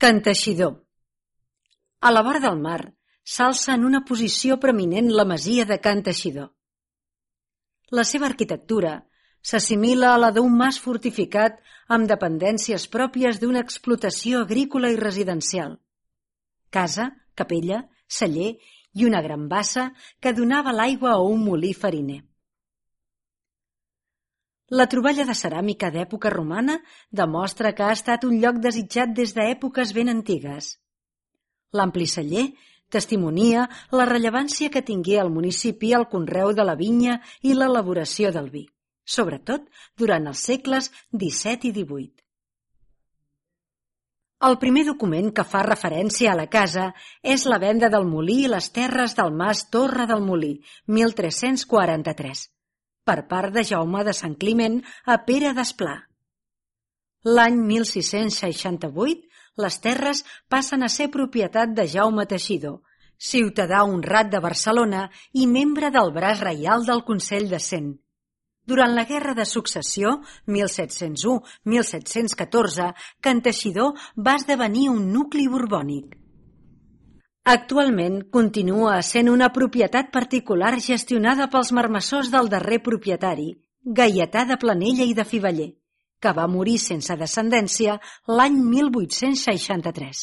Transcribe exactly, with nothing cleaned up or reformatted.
Can Teixidor. A la vora del mar s'alça en una posició preeminent la masia de Can Teixidor. La seva arquitectura s'assimila a la d'un mas fortificat amb dependències pròpies d'una explotació agrícola i residencial. Casa, capella, celler i una gran bassa que donava l'aigua a un molí fariner. La troballa de ceràmica d'època romana demostra que ha estat un lloc desitjat des d'èpoques ben antigues. L'ampli celler testimonia la rellevància que tingué al municipi el conreu de la vinya i l'elaboració del vi, sobretot durant els segles disset i divuit. El primer document que fa referència a la casa és la venda del molí i les terres del mas Torre del Molí, mil tres-cents quaranta-tres, per part de Jaume de Sant Climent a Pere d'Esplà. L'any mil sis-cents seixanta-vuit, les terres passen a ser propietat de Jaume Teixidor, ciutadà honrat de Barcelona i membre del braç reial del Consell de Cent. Durant la Guerra de Successió, mil set-cents u a mil set-cents catorze, Can Teixidor va esdevenir un nucli borbònic. Actualment continua essent una propietat particular gestionada pels marmessors del darrer propietari, Gaietà de Planella i de Fiveller, que va morir sense descendència l'any mil vuit-cents seixanta-tres.